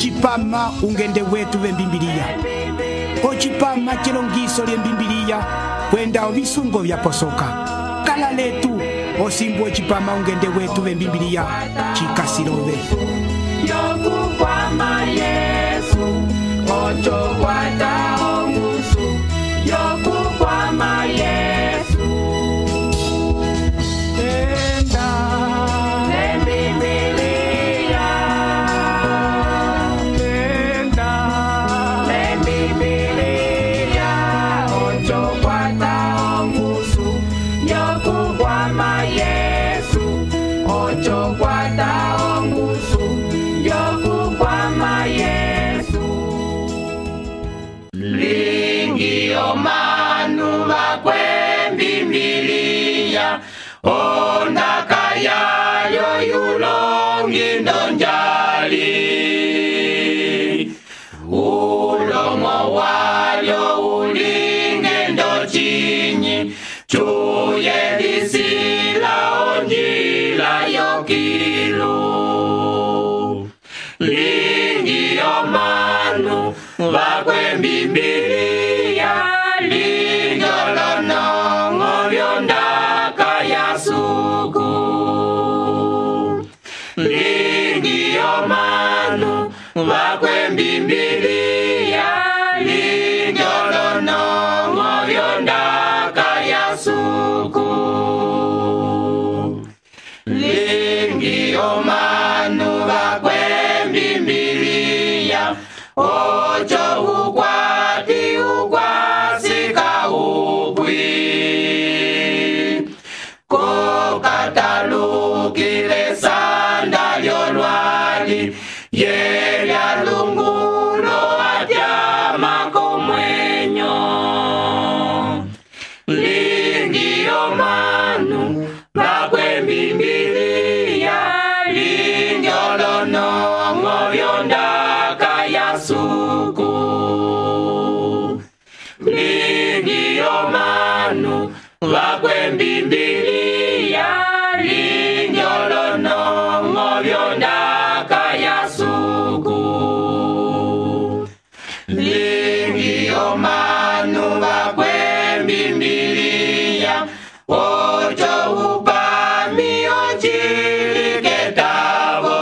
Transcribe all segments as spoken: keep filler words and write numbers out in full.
ocipama ungende wetu vembimbiliya, ocipama cilongiso lyembimbiliya kwenda ovisungo vyaposoka. Kala letu osimbu ocipama ungende wetu vembimbiliya cikasilove yokukwama Yesu ocho kwata ongusu yokukwama Yesu enda lembibiliya enda lembibiliya ocho kwata ongusu yokukwama Yesu ocho kwata ongusu yokukwama Yesu lingi omanu bakwembimbiliya ondaka yayo yulongi ndonjali ulomo walyo ulinge ndochinyi chuye lisila onjila yokilu lingi omanu bakwembimbiliya linjolonongo byondaka yasuku lingi omanu bakwembimbiliya linjolonongo byondaka yasuku lingi omanu bakwembimbiliya ocho ukwati ukwasika upwi kokatalukile sanda lyolwali yelya lungulo atyama komwenyo lingi omanu bakwembimbiliya linjolonongo byondaka yasuku lingi omanu bakwembimbiliya linjolonongo byondaka yasuku lingi omanu bakwembimbiliya ocho upami ochiliketavo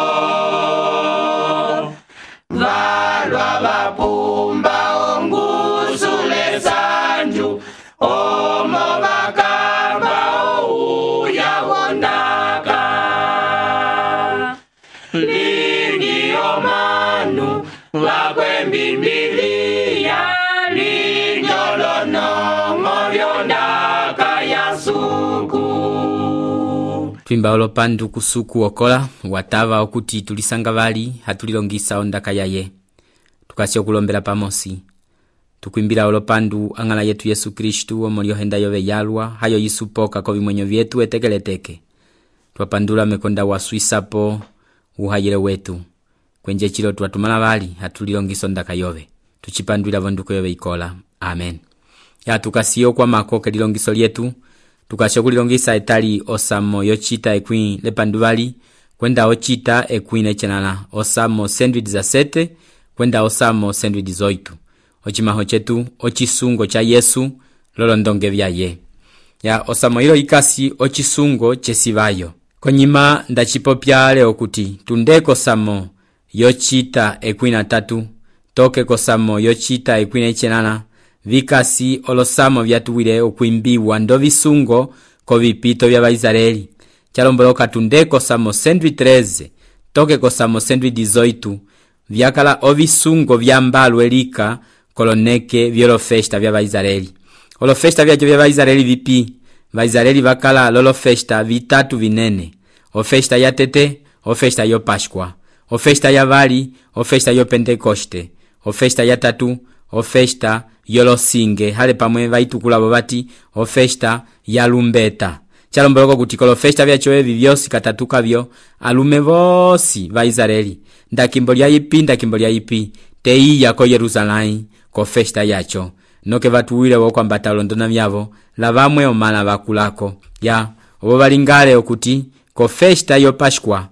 valwa vapumba ongusule sanju omo vakamba ouya wondaka lingi omanu bakwembimbiliya linjolonongo byondaka yasuku. Twimba olopandu kusuku okola watava okuti tulisanga vali hatulilongisa ondaka yaye tukasi okulombela pamosi tukwimbila olopandu angala yetu Yesu Kristu omulio henda yove yalwa hayo yisupoka ko bimwenyo vyetu etekeleteke twapandula mekonda waswisapo uhayile wetu kwenje chilo twatumala vali hatulilongisa ondaka yove tuchipandwila vonduko yove ikola amen ya tukasiyo kwa makoke lilongiso lyetu tukasho kulilongisa etali osamo yochita ekwi lepanduvali kwenda ochita ekwi nechenala osamo sandwich za sete kwenda osamo sandwich zoitu ochimaho chetu ochisungo cha Yesu lolondonge vyaye ya osamo hilo ikasi ochisungo chesivayo konyima ndachipopya leo kuti tundeko samo yochita ekwi na tatu toke kosamo yochita ekwi nechenala vikasi olosamo vyatuwile okwimbiwa ndo visungo ko vipito vya Baisraeli chalomboloka tundeko samo sandwich treze toke ko samo sandwich zoitu vyakala ovisungo vya mbalu elika koloneke vyolofesta vya Baisraeli olofesta vya vya Baisraeli vipi Baisraeli vakala lolofesta vitatu vinene ofesta ya tete ofesta yo Pashkwa ofesta ya vali ofesta yo Pentekoste ofesta ya tatu ofesta yolosinge hale pamwe vaitukula bati ofesta ya lumbeta chalomboloko kuti kolo festa vyacho evi vyosi katatuka vyo alume vosi va Israeli ndakimbo lya ipi ndakimbo lya ipi teiya ko Yerusalemu ko festa yacho noke vatuwile woko ambata londona vyavo lavamwe omala vakulako ya obo balingale okuti ko festa yo Pashkwa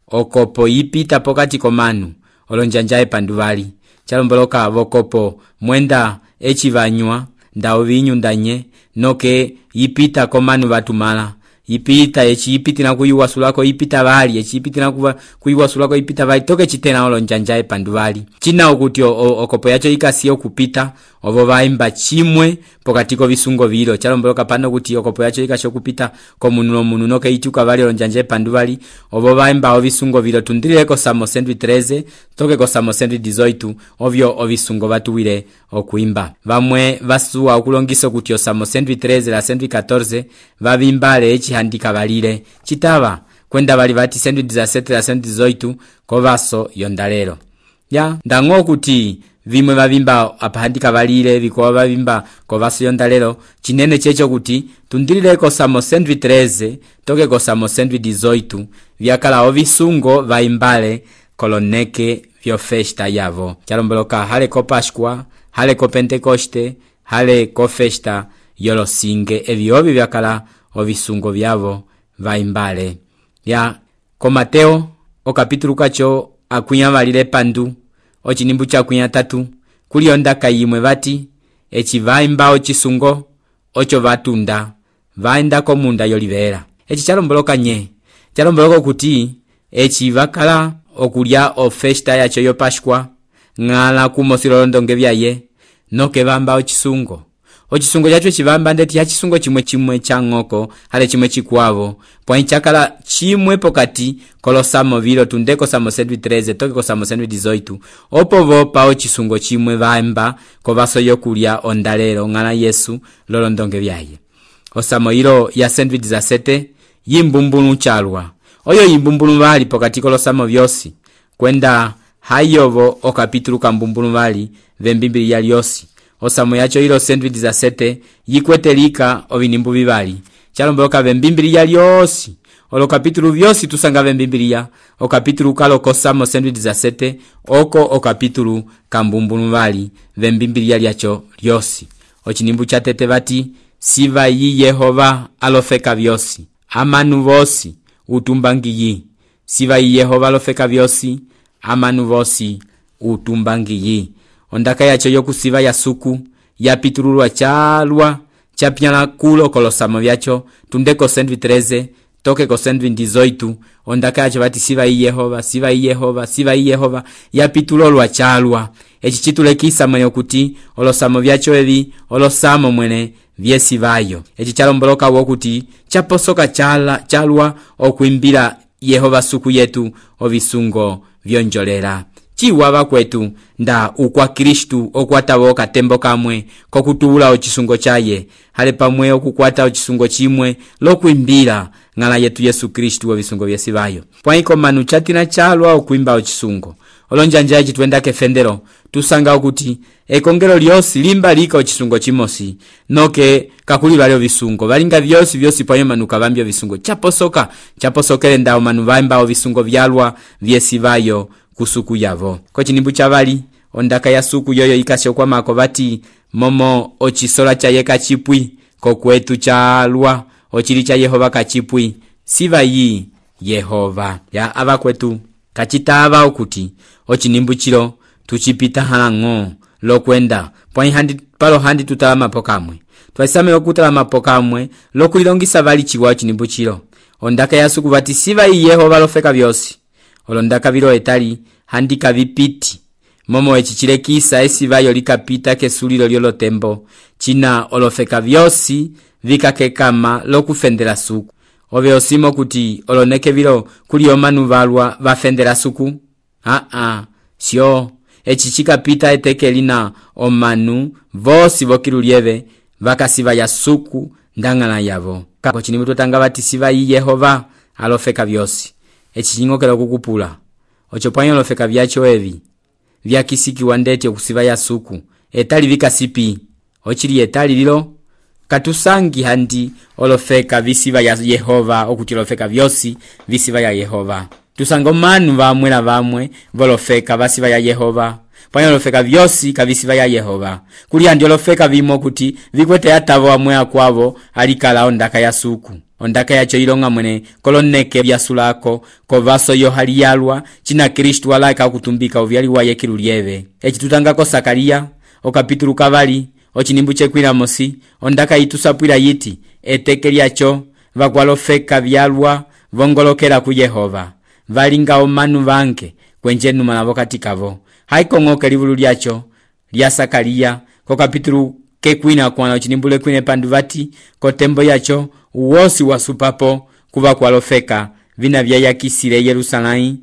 okopo ipita pokati komanu olonjanja epanduvali chalomboloka vokopo mwenda echivanywa nda vinyu ndanye noke yipita komanu batumala yipita echi yipitira kuyiwasulako yipita bali echi yipitira kuyiwasulako yipita bali toke chitena olonjanja epanduvali china okuti okopo yacho ikasiyo kupita ovo vaimba chimwe pokatiko visungo vilo chalomboloka pano kuti okopo yacho ikasho kupita komunulo munu noke ituka bali olonjanja epanduvali ovo vaimba ovisungo vilo tundirileko Salmo cento e treze toke ko Salmo cento e dezoito ovyo ovisungo batuwire okuimba vamwe vasuwa okulongiso kuti o Salmo cento e treze la cento e catorze vavimbale echi handika balile chitava kwenda bali vati cento e dezessete la cento e dezoito kovaso yondalero ya ndango kuti vimwe vavimba apahandika balile vikowa vavimba kovaso yondalero chinene checho kuti tundirileko Salmo cento e treze toke ko Salmo cento e dezoito vyakala ovisungo vaimbale koloneke vyo festa yavo chalomboloka hale ko Páscoa hale ko Pentecoste hale ko festa yolosinge evyovi vyakala ovisungo vyavo vaimbale ya ko Mateo o kapitulu kacho akunya valile pandu o chinimbu cha kunya tatu kuli ondaka yimwe vati echi vaimba o chisungo ocho vatunda vaenda ko munda yolivera echi chalomboloka nye chalomboloka kuti echi vakala okulya o festa yacho yo Páscoa ngala kumosilolondonge vyaye noke vamba o chisungo o chisungo chacho chivamba ndeti ya chisungo chimwe chimwe cha ngoko hale chimwe chikwavo pwa chakala chimwe pokati kolosamo vilo tundeko Salmo cento e treze toke ko Salmo cento e dezoito opo vopa o chisungo chimwe vamba ko vaso yokulya ondalero ngala Yesu lolondonge vyaye o Salmo ilo ya cento e dezessete yimbumbulu chalwa oyo yimbumbulu vali pokati kolosamo vyosi kwenda hayovo o kapitulu kambumbulu vali vembimbili ya lyosi o Salmo yacho ilo cento e dezessete yikwetelika ovinimbu vivali chalomboloka vembimbili ya lyosi olo kapitulu vyosi tusanga vembimbili ya o kapitulu kalo ko Salmo cento e dezessete oko o kapitulu kambumbulu vali vembimbili ya lyacho lyosi o chinimbu cha tete vati siva yi Yehova alofeka vyosi amanu vosi utumbangiyi siva yi Yehova alofeka vyosi amanu vosi utumbangiyi ondaka yacho yokusiva ya suku yapitululwa chalwa chapyala kulo kolosamo vyacho tundeko cento e treze toke ko cento e dezoito ondaka yacho vati siva yi Yehova siva yi Yehova siva yi Yehova yapitulolwa chalwa echi chitulekisa mwene okuti olosamo vyacho evi olosamo mwene vyesivayo echi chalomboloka wokuti chaposoka chala chalwa okuimbira Yehova suku yetu ovisungo vyonjolera chiwava kwetu nda ukwa Kristu okwatawo katembo kamwe kokutula ochisungo chaye hale pamwe okukwata ochisungo chimwe lokuimbira ngala yetu Yesu Kristu ovisungo vyesivayo pwaiko manu chatina chalwa okuimba ochisungo olonjanja echi twenda kefendero tusanga ukuthi ekongero lyosi limba lika ochisungo chimosi noke kakulilwa lyo visungo valinga vyosi vyosi pwayo manuka vambyo visungo chaposoka chaposokele ndao manu vaimba visungo vyalwa vyesivayo kusuku yavo ko chinimbu chavali ondaka ya suku yoyo ikashokwa mako vati momo ochisola cha yeka chipwi ko kwetu chalwa ochili cha Yehova kachipwi siva yi Yehova ya ava kwetu kachitava okuti ochinimbu chilo tuchipita halango lokwenda pwa handi palo handi tutala mapokamwe twaisame okutala mapokamwe lokulilongisa vali chiwa chinimbu chilo ondaka ya suku vati siva yi Yehova lofeka vyosi olondaka vilo etali handika vipiti momo echichilekisa esivayo likapita kesulilo lyolo tembo china olofeka vyosi vikakekama lokufendela suku ove osimo kuti oloneke vilo kuli omanu valwa vafendela suku a a sio echichikapita etekelina omanu vosi vokilulieve vakasiva ya suku ndangala yavo kako chinimu totanga vati siva yi Yehova alofeka vyosi echichingokela kukupula ochopwanyo lofeka vyacho evi vyakisiki wandete okusiva ya suku etali vikasipi ochili etali lilo katusangi handi olofeka visiva ya Yehova okuti lofeka vyosi visiva ya Yehova tusanga manu vamwela vamwe volofeka vasiva ya Yehova pwanyo lofeka vyosi kavisiva ya Yehova kuli handi olofeka vimo kuti vikwete atavo amwe akwavo alikala ondaka ya suku ondaka yacho ilonga mwene koloneke byasulako kovaso yohali yalwa china Kristu alaka okutumbika uvyali waye kilulieve. Eci tutangako Sakariya okapitulu kavali ochinimbu chekwila mosi ondaka itusapwila yiti eteke lyacho vakwalofeka vyalwa vongolokela ku Yehova valinga omanu vange kwenje numala vokati kavo. Haikong'oke livulu lyacho lya Sakariya kokapitulu kekwina kwana ochinimbule kwine pandu vati kotembo yacho uwosi wasupapo kuva kwalofeka vina vyayakisile Yerusalai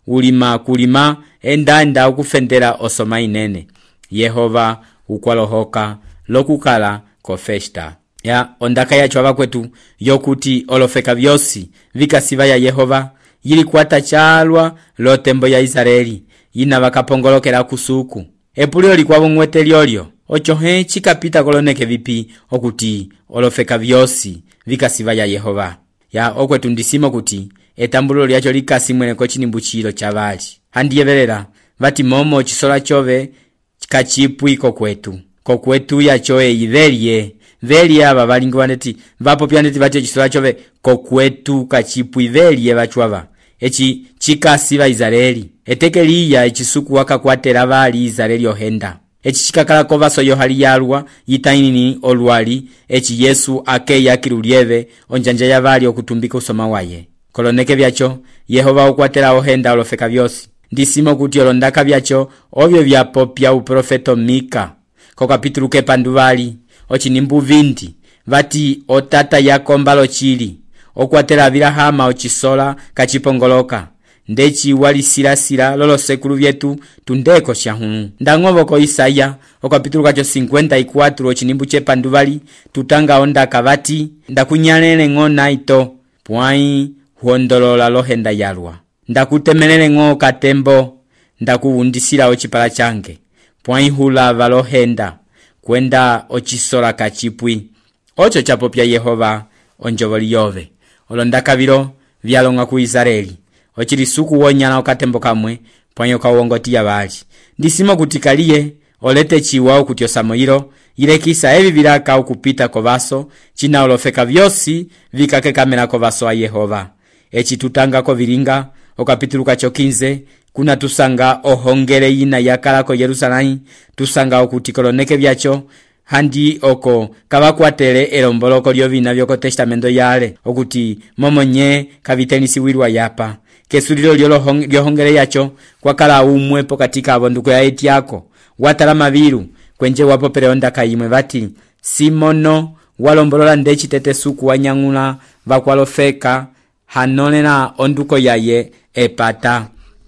ulima kulima enda enda ukufendela osoma inene. Yehova ukwalohoka lokukala kofesta ya ondaka yacho avakwetu yokuti olofeka vyosi vikasiva ya Yehova yili kwata chalwa lo tembo ya Israeli yina vakapongolokela kusuku epulio likwavo mwete lyolyo ocho he chikapita koloneke vipi okuti olofeka vyosi vikasiva ya Yehova. Ya okwetu ndisimo kuti etambulo lyacho likasi mwene kochinimbu chilo chavali handiyevelela vati momo chisola chove kachipwi kokwetu kokwetu yacho eivelye velye ava valingi vaneti vapo pyaneti vati chisola chove kokwetu kachipwi velye vachwava echi chikasiva Israeli etekeliya echisuku wakakwatela vali Israeli ohenda echi chikakala kovaso yohali yalwa yitainini olwali echi Yesu akeya kilulieve onjanja ya vali okutumbika usoma waye koloneke vyacho Yehova ukwatela ohenda olofeka vyosi ndisimo kuti olondaka vyacho ovyo vyapopya uprofeto Mika kokapitulu kepandu vali ochinimbu vindi vati otata yakombalo chili okwatela Abilahama ochisola kachipongoloka ndechi wali silasila lolo sekulu vyetu tundeko shahunu ndang'ovo ko Isaya okapitulu kacho cincuenta y cuatro ochinimbu chepandu vali tutanga ondaka vati ndakunyalele ng'o naito pwai huondolola lohenda yalwa ndakutemelele ng'o katembo ndakuwundisila ochipala change pwai hulava lohenda kwenda ochisola kachipwi ocho chapopya Yehova onjovoli yove olondaka vilo vyalonga ku Israeli ochilisuku wonyana okatembo kamwe pwanyo kawongoti ya vali ndisimo kutikaliye olete chiwa okuti osamoyilo yilekisa evi vilaka ukupita kovaso china olofeka vyosi vikake kamela kovaso a Yehova. Echi tutanga ko vilinga okapitulu kacho quinze kuna tusanga ohongele yina yakala ko Yerusalai tusanga okuti koloneke vyacho handi oko kavakwatele elomboloko lyovina vyoko testamento yale okuti momonye kavitenisi wirwa yapa kesulilo lyohongele yacho kwakala umwe pokatika abonduko ya eti yako watala mavilu kwenje wapo peleonda kayimwe vati Simono walombolola ndechi tete suku wanyangula vakwalofeka hanolela onduko yaye epata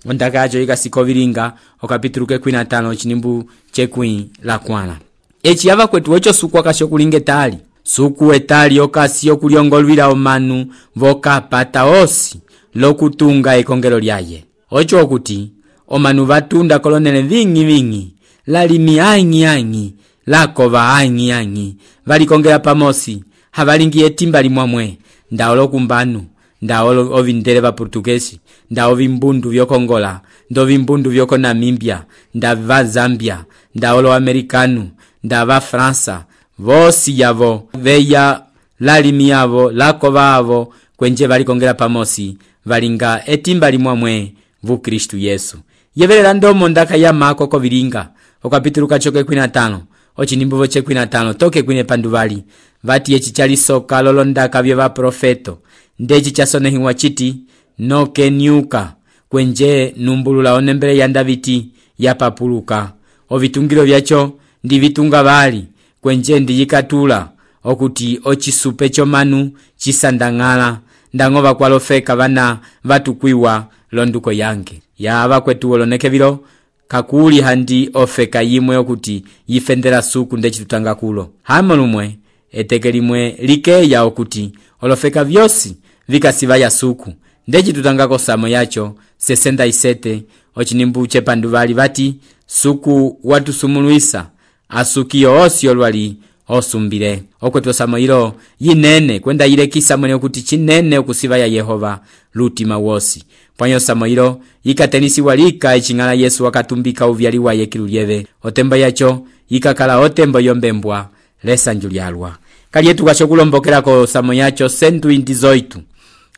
ondaka yacho ikasiko vilinga okapitulu kekwina tano chinimbu chekwi la kwana echi yava kwetu ocho suku wakasho kulinge tali suku etali okasi yokuliongolwila omanu voka pata osi lokutunga ekongelo lyaye ocho okuti omanu vatunda kolonele vingi vingi lalimi angi angi lakova angi angi valikongela pamosi havalingi etimba limwamwe ndaolo kumbanu ndaolo ovindele va Portugesi ndao vimbundu vyokongola ndo vimbundu vyoko Namibia ndava Zambia ndaolo Amerikanu ndava Fransa vosi yavo veya lalimi yavo lakova avo kwenje valikongela pamosi valinga etimba limwamwe vu Kristu Yesu. Yevelela ndomo ndaka ya mako ko vilinga okapitulu kachoke kwina tano ochinimbu voche kwina tano toke kwine panduvali vati echi chalisoka lolondaka vye va profeto ndechi chasonehiwa chiti noke nyuka kwenje numbulula onembele ya Daviti ya papuluka ovitungilo vyacho ndi vitunga vali kwenje ndi yikatula okuti ochisupe chomanu chisandangala ndangova kwalofeka vana vatukwiwa londuko yange yava kwetu oloneke vilo kakuli handi ofeka yimwe okuti yifendela suku ndechi tutanga kulo hamolumwe etekelimwe likeya okuti olofeka vyosi vikasiva ya suku ndechi tutanga kosamo yacho sesenta y sete ochinimbu chepanduvali vati suku watusumuluisa asukio osi olwali osumbile okwetu osamo ilo yinene kwenda yilekisa mwene okuti chinene okusiva ya Yehova lutima wosi pwanyo osamo ilo yikatenisi walika echingala Yesu wakatumbika uvyali waye kilulieve otembo yacho yikakala otembo yombembwa lesa njulialwa kaliye tukasho kulombokela ko samo yacho cento e dezoito.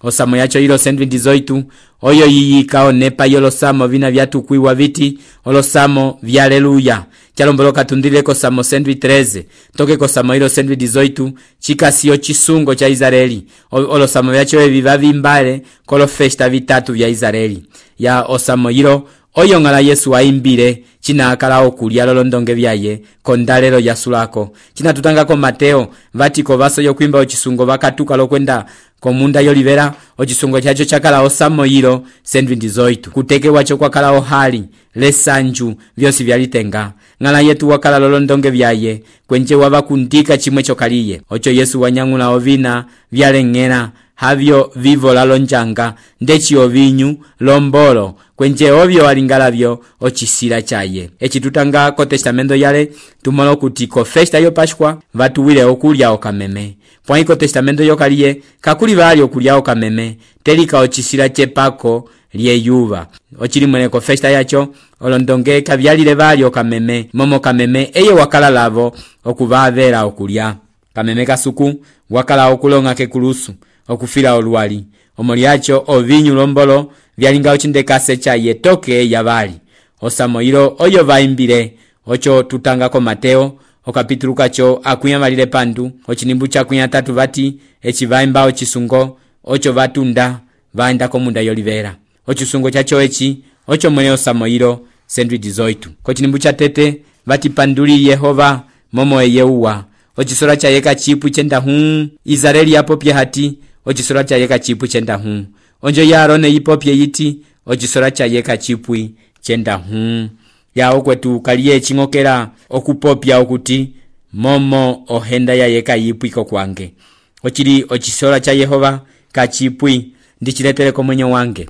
Osamo yacho ilo cento e dezoito oyo yiyika onepa yolosamo vina vyatukwiwa viti olosamo vya aleluya. Chalomboloka tundile ko samo cento e treze toke ko samo ilo cento e dezoito chikasiyo chisungo cha Israeli. Olosamo vyacho evi vavimbale kolo festa vitatu vya Israeli. Ya osamo ilo oyo ngala Yesu aimbile china akala okulia lolondonge vyaye kondalelo ya sulako. China tutanga ko Mateo vatiko vaso yokwimba ochisungo vakatuka lokwenda komunda yolivera ochisungo chacho chakala osamo ilo cento e dezoito. Kuteke wacho kwa kala ohali lesanju vyosi vyalitenga. Ngala yetu wakala lolondonge vyaye kwenche wavakundika chimwe chokaliye. Ocho Yesu wanyangula ovina vyalengera havyo vivo lalonjanga ndechi ovinyu lombolo kwenche ovyo walingalavyo ochisila chaye. Echi tutanga ko testamento yale tumolo kuti ko festa yo Pascua vatuwile okulya okameme. Pwa ko testamento yokaliye kakuli vali okulya okameme telika ochisila chepako liye yuva. Ochili mwene ko festa yacho olondonge kavyalile vali okameme momo kameme eye wakala lavo okuvavela okulya. Kameme kasuku wakala okulonga kekulusu okufila olwali. Omoliacho ovinyu lombolo vyalinga ochindekase chaye toke yavali. Osamo ilo oyo vaimbile ocho tutanga ko Mateo okapitulu kacho akunya malile pandu ochinimbu chakunya tatu vati echi vaimba ochisungo ocho vatunda vaenda komunda yolivera. Ochisungo chacho echi ocho mwene osamo ilo cento e dezoito. Kochinimbu cha tete vati panduli Yehova momo eyeuwa. Ochisora cha yeka chipu chenda huu Israeli yapopye hati ochisora cha yeka chipu chenda huu. Onjo ya Arone yipopye yiti ochisora cha yeka chipui chenda huu. Ya okwetu kaliye chingokera okupopya okuti momo ohenda ya yeka yipui kokwange. Ochiri ochisora cha Yehova kachipui ndichiletere ko mwenye wange.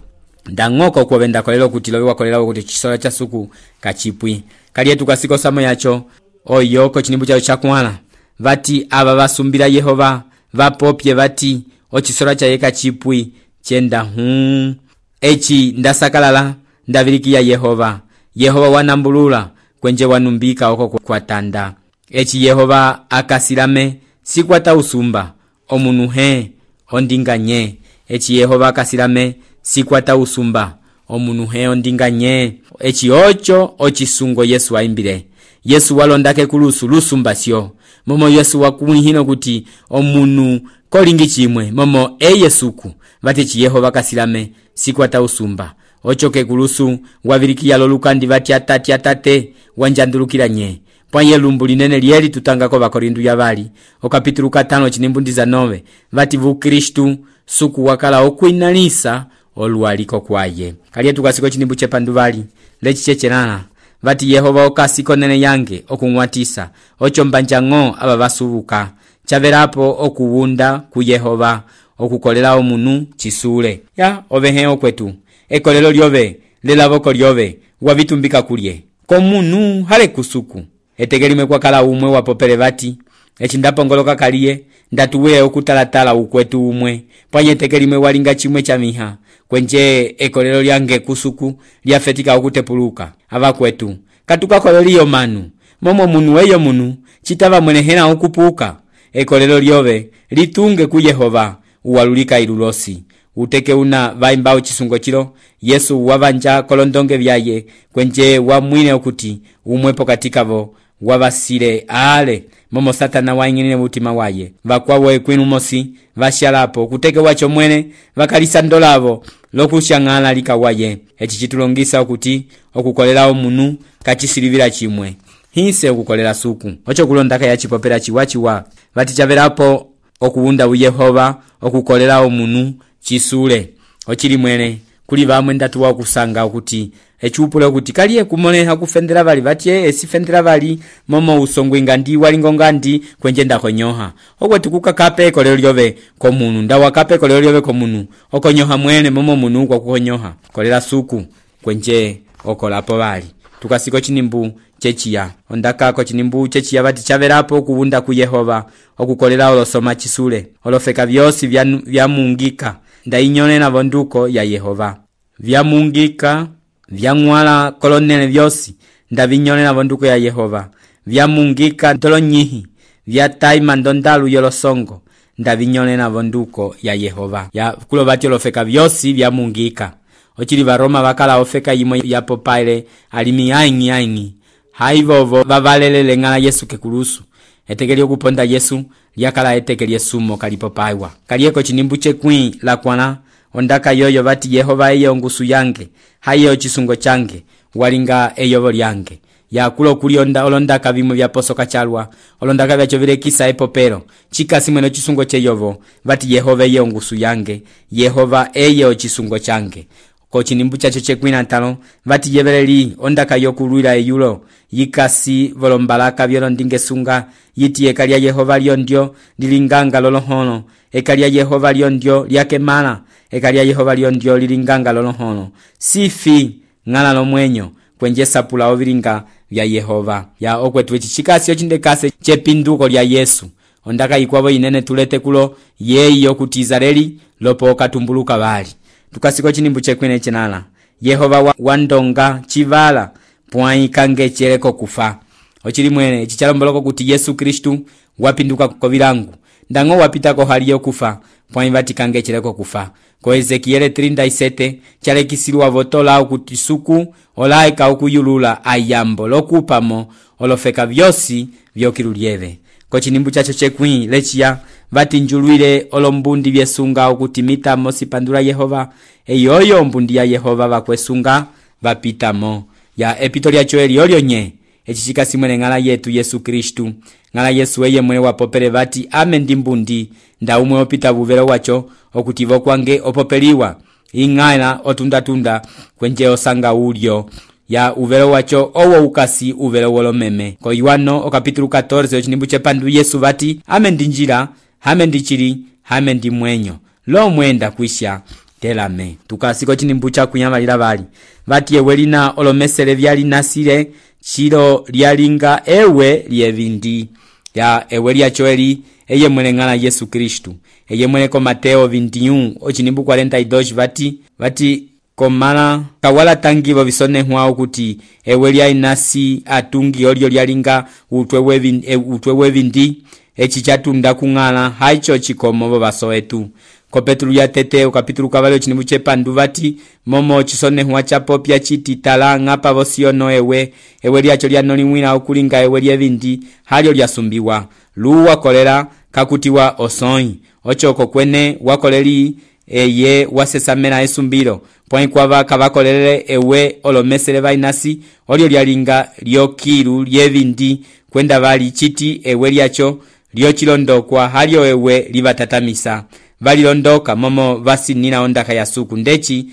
Ndangoko kwa venda kolelo kuti lowe wakolela kuti chisora cha suku kachipui. Kaliye tukasiko samo yacho oyo ko chinimbu cha chakwala. Vati aba basumbira Yehova vapopye vati ochisora cha yeka chipui chenda huu. Echi ndasakalala ndavilikia Yehova. Yehova wanambulula kwenje wanumbika oko kwa tanda. Echi Yehova akasilame sikwata usumba omunuhe ondinganye. Echi Yehova akasilame sikwata usumba omunuhe ondinganye. Echi ocho ochisungo Yesu aimbile. Yesu walondake kulusu lusumba sio. Momo Yesu wakumihino kuti omunu kolingi chimwe momo e Yesuku vati chi Yehova kasilame sikwata usumba. Ochoke kulusu wavilikia lolukandi vati atati atate wanjandulukira nye. Panye lumbu linene lieli tutanga ko Bakorindu ya vali okapitulu katano chinimbundi nove vati vu Kristu suku wakala okuinalisa oluwaliko kwaye. Kaliye tukasiko chinimbu chepandu vali lechi chechelana vati Yehova okasiko nene yange okungwatisa ocho mbanjango aba basubuka chaverapo okuwunda ku Yehova okukolela omunu chisule. Ya ovehe okwetu ekolelo lyove lelaboko lyove wavitumbika kulye komunu hale kusuku etegelime kwa kala umwe wapopele vati echindapongoloka kaliye ndatuwe okutalatala ukwetu umwe panye tegelime walinga chimwe cha miha kwenje ekolelo lyange kusuku lyafetika okutepuluka ava kwetu katuka koleliyo manu momo munu eyo munu chitava mwenehena okupuka ekolelo lyove litunge ku Yehova uwalulika ilulosi. Uteke una vaimbao chisungo chilo Yesu wavanja kolondonge vyaye kwenje wa mwine okuti umwepo katikavo wavasile ale momo Satana waingine mutima waye vakwawe kwinu mosi vashalapo kuteke wacho mwene vakalisandolavo lokushangala likawaye. Echi chitulongisa okuti okukolela omunu kachisilivira chimwe hise okukolela suku ocho kulondaka ya chipopera chiwachiwa vati chaverapo okuwunda u Yehova okukolela omunu chisule. Ochili mwene kuli vamwe ndatuwa kusanga okuti echupule okuti kaliye kumone hakufendera vali vati esifendera vali momo usongwinga ndi walingonga ndi kwenje ndakonyoha okwetu kukakape kolelo lyove komunu ndawa kape kolelo lyove komunu okonyoha mwene momo munu kwa kukonyoha kolela suku kwenje okolapo vali. Tukasiko chinimbu chechiya ondaka ko chinimbu chechiya vati chaverapo kuwunda ku Yehova okukolela olosoma chisule olofeka vyosi vya, vya mungika ndainyone na vonduko ya Yehova vya mungika vya ngwala kolonene vyosi ndavinyone na vonduko ya Yehova vya mungika ntolo nyihi vyataima ndondalu yolosongo ndavinyolena vonduko ya Yehova. Ya kulo vati olofeka vyosi vyamungika. Ochili Varoma vakala ofeka yimo ya popaile alimi aingi aingi. Haivovo vavalelele ngala Yesu kekulusu. Etekeli okuponda Yesu lyakala etekeli Yesumo kalipopaiwa. Kalieko chinimbu chekwi la kwana ondaka yoyo vati Yehova eye ongusu yange. Hayo chisungo change walinga eyovo lyange. Ya kulo kulionda olondaka vimo vya posoka chalwa. Olondaka vya chovile kisa epopero. Chika simweno chisungo cheyovo vati Yehova eye ongusu yange. Yehova eye chisungo change. Ko chinimbu chacho chekwina tano vati yeveleli ondaka yokulwila eyulo yikasi volombalaka vyolondinge sunga yiti ekalia Yehova lyondio lilinganga lolohono ekalia Yehova lyondio lyakemala ekalia Yehova lyondio lilinganga lolohono sifi ngala lomwenyo kwenje sapula ovilinga vya Yehova. Ya okwetu chikasi ochindekase chepinduko lya Yesu ondaka ikwavo inene tulete kulo yeyi okutizareli lopo okatumbuluka vali. Tukasiko chinimbu chekwine chinala Yehova wa wandonga chivala pwai kange chereko kufa. Ochili mwene chichalomboloko kuti Yesu Kristu wapinduka kovilangu ndango wapita ko hali yokufa pwai vati kange chereko kufa. Ko Ezekiele thelathini na sita chalekisiwa votola okuti suku olaika okuyulula ayambo lokupamo olofeka vyosi vyokilulieve. Ko chinimbu chacho chekwi lechia vati njulwile olombundi vyesunga okutimita mosi pandula Yehova eyoyo mbundi ya Yehova vakwesunga vapitamo. Ya epitolia choeli olio nye echichika simwene ngala yetu Yesu Kristu ngala Yesu eye mwene wapopele vati ame ndimbundi nda umwe opita vuvelo wacho okutivo kwange opopeliwa ingala otunda-tunda kwenje osanga ulio. Ya uvelo wacho owo ukasi uvelo wolomeme. Ko Yohano okapitulu catorze ochinimbu chepandu Yesu vati ame ndinjira hame ndichiri hame ndi mwenyo lo mwenda kuisha telame. Tukasiko chinimbu cha kunyamalira vali vati ewe lina olomesele vyali nasile chilo lyalinga ewe lyevindi. Ya ewe lya choeli eye mwene ngala Yesu Kristu eye mwene ko Mateo vinte e um ochinimbu quarenta e dois vati vati komala kawala tangivo visone huwa ukuti ewe lya inasi atungi olio lyalinga utwewe vindi, e, utwewe vindi echi chatunda kungala haicho chikomo baso etu. Ko Petru ya tete ukapitulu kavalo chinimbu chepandu vati momo chisone huwa chapopya chiti talanga pavosiono ewe ewe lyacho lyanoliwina okulinga ewe lyevindi halio lyasumbiwa luwa kolera kakutiwa osoi ochoko kwene wakoleli eye wasesamena esumbiro pwai kwava kavakolele ewe olomesele vainasi olio lyalinga lyokilu lyevindi kwenda vali chiti ewe lyacho lyochilondokwa halio ewe livatatamisa valilondoka momo vasinina ondaka ya suku ndechi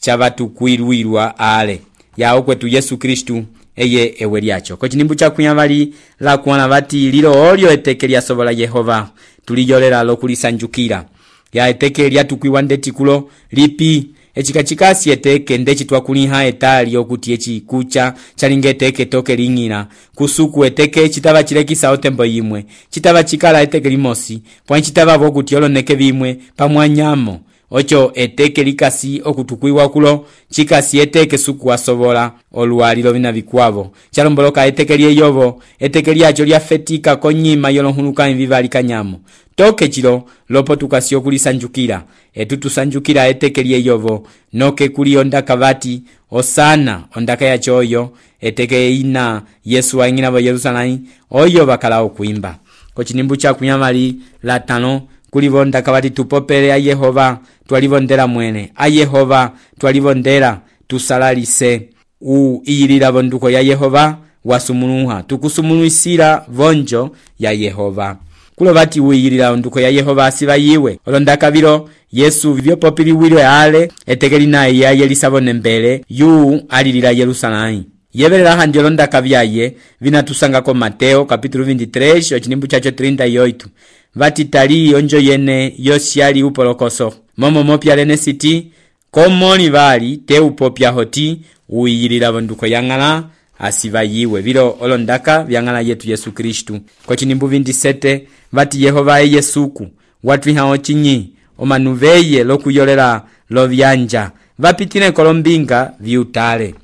chavatukwilwilwa ale. Ya okwetu Yesu Kristu eye ewe lyacho. Ko chinimbu cha kunyavali la kuwana vati lilo olio eteke lya sobola Yehova tuliyolera lokulisanjukira. Ya eteke lyatukwiwa ndeti kulo lipi echikachikasi eteke ndechi twakuliha etali okuti echi kucha chalinga eteke toke lingina kusuku eteke chitava chilekisa otembo yimwe chitava chikala eteke limosi pwa chitava vokuti oloneke vimwe pamwanyamo ocho eteke likasi okutukwiwa kulo chikasi eteke suku wasobola oluwalilo vina vikwavo chalomboloka eteke lyeyovo eteke lyacho lyafetika konyima yolonhuluka invivali kanyamo toke chilo lopo tukasio kulisanjukira etu tusanjukira eteke lyeyovo noke kuli ondaka vati osana ondaka ya choyo eteke ina Yesu waingina vo Yerusalemu oyo bakala okuimba. Ko chinimbu cha kunyamali la tano kuli ondaka vati tupopele a Yehova twalivondera mwene a Yehova twalivondera tusalalise u iyilila vonduko ya Yehova wasumunuha tukusumunuisira vonjo ya Yehova. Kulo vati uiyilila onduko ya Yehova asiva yiwe olondaka vilo Yesu vyopopili wilwe ale etekeli naye ya yelisabone mbele yu alilila Yerusalemu. Yevelela handi olondaka vyaye vinatusanga ko Mateo kapitulu vinte-três ochinimbu chacho trinta e oito vati tali onjo yene yosiali upolokoso momo mopya lene siti komoni vali te upopya hoti uiyilila vonduko yangala asiva yiwe vilo olondaka vyangala yetu Yesu Kristu. Ko chinimbu vinte-sete vati Yehova eye suku watwiha ochinyi omanuveye lokuyolera lovyanja vapitine kolombinga viutale.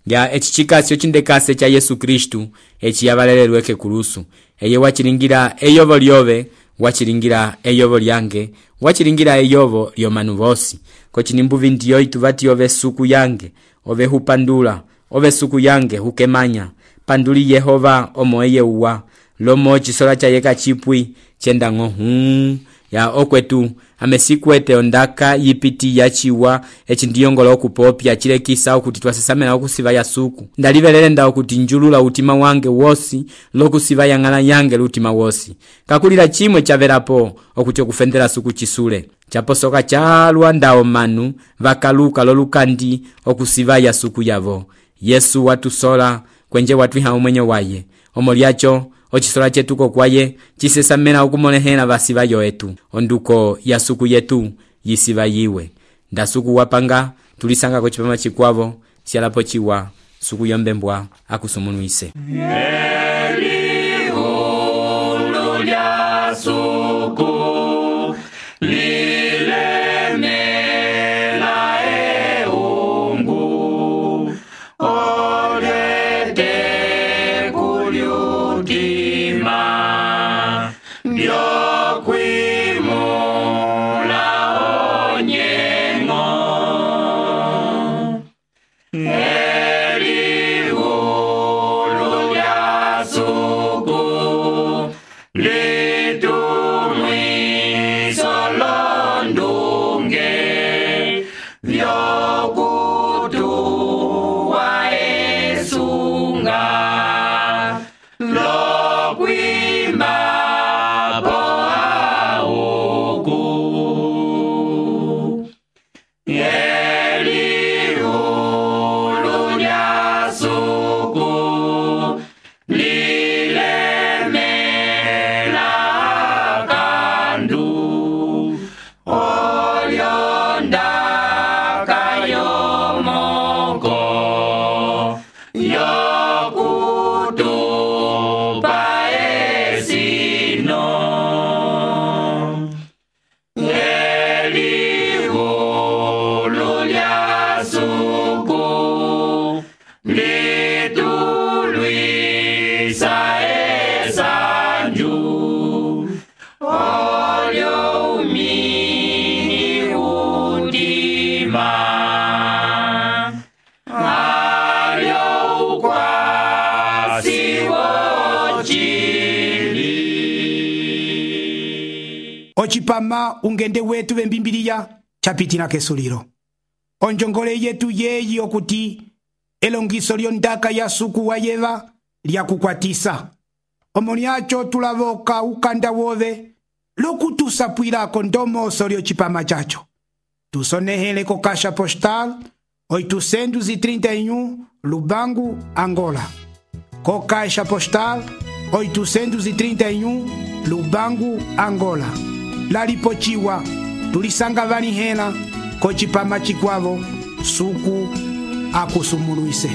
Ya echichikasi ochindekase cha Yesu Kristu echi yavalelelweke kulusu eye wachilingira eyovo lyove wachilingira eyovo lyange wachilingira eyovo lyomanu vosi kochinimbuvi ndiyo ituvati ove suku yange ove hupandula ove suku yange hukemanya panduli Yehova omo eye uwa lomo chisola cha yeka chipwi chenda ngohu ya okwetu amesikwete ondaka yipiti yachiwa echi ndiyongolo okupopya chilekisa okuti twasesamela okusiva ya suku ndalivelelenda okuti njulula utima wange wosi lokusiva yang'ala yange lutima wosi kakulila chimwe chavelapo okuti okufendela suku chisule chaposoka chalwa ndao manu vakaluka lolukandi okusiva ya suku yavo Yesu watusola kwenje watwiha umwenyo waye omo lyacho ochisola chetuko kwaye chisesamela okumolehela vasiva yoetu onduko ya suku yetu yisiva yiwe ndasuku wapanga tulisanga kochipama chikwavo sialapo chiwa suku yombembwa akusumunuise Elihulu lya suku lilemela eungu olete kulyutima byokwimula onyengo Elihulu lya suku litumwiso londunge vyokutuwa esunga lokwimba po auku Elihulu lya suku lilemela kandu olyondaka yomoko yokutupa esino Elihulu lya suku litulwisa esanju olyo umini udima alyo ukwasi wochili ochipama ungende wetu vembimbiliya chapitila kesulilo onjongole yetu yeyi okuti elongiso lyondaka ya suku wa yeva lyakukwatisa omo lyacho tulavoka ukanda wove lokutusapwilako ndomoso lyocipama chacho tusonehele ko kasha postal oitocentos e trinta e um Lubango, Angola. Co caixa postal oitocentos e trinta e um Lubango, Angola. Lalipochiwa tulisanga vanihela ko chipama chikwavo suku akusumuluise.